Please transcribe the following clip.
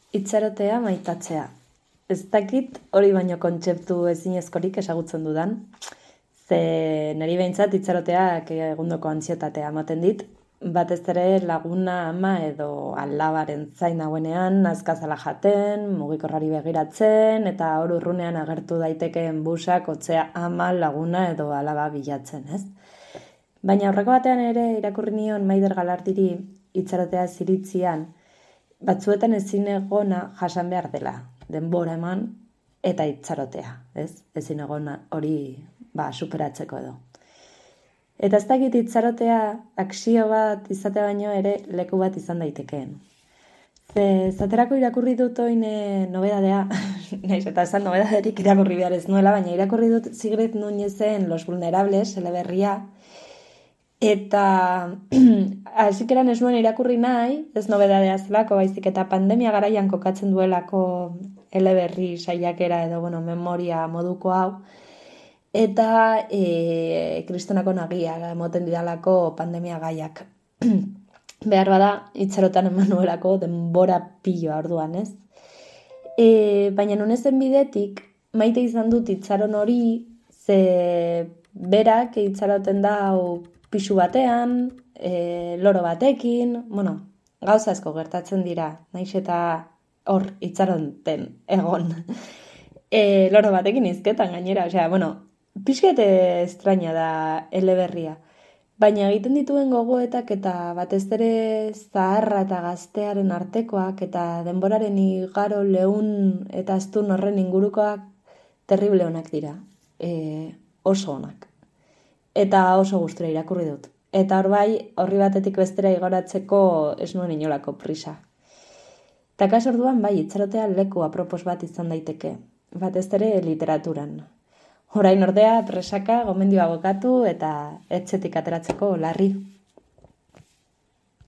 Itxarotea maitatzea. Ez dakit hori baino kontzeptu ezinezkorik ezagutzen dudan. Ze niri behintzat itxaroteak egundoko antsietatea ematen dit. Batez ere laguna, ama edo alabaren zain dagoenean, azkazala jaten, mugikorrari begiratzen, eta hor urrunean agertu daitekeen busak, otzea ama, laguna edo alaba bilatzen, ez? Baina horreko batean ere irakurri nion Maider Galardiri itxarotea ziritzian, batzuetan ezin egona jasan behar dela, denbora eman eta itxarotea, ez? Ezin egona hori superatzeko edo. Eta ez dakit itxarotea akzio bat izatea baino ere leku bat izan daitekeen. Zaterako irakurri dut oin nobedadea, naiz eta esan nobedaderik irakurri behar ez nuela, baina irakurri dut Sigrid Núñezen Los Vulnerables, eleberria, eta hasikeran ez nuen irakurri nahi, ez nobedadea zelako, baizik eta pandemia garaian kokatzen duelako eleberri saiakera edo memoria moduko hau, eta kristonako nagia emoten didalako pandemia gaiak. Behar bada, itxarotan eman nuelako denbora piloa orduan, ez? Baina nunezen bidetik, maite izan dut itxaron hori, ze berak itxaroten da pisu batean, loro batekin, gauza asko gertatzen dira, naiz eta hor itxaronten egon. Loro batekin izketan gainera, pixkete estraña da eleberria. Baina egiten dituen gogoetak eta batez ere zaharra eta gaztearen artekoak eta denboraren igaro leun eta astun horren ingurukoak terrible onak dira. Oso onak. Eta oso gustura irakurri dut. Eta hor bai, horri batetik bestera igoratzeko ez nuen inolako prisa. Eta kaso orduan bai, itxarotea leku apropos bat izan daiteke. Batez ere literaturan. Orain ordea presaka, gomendioa bokatu eta etxetik ateratzeko larri.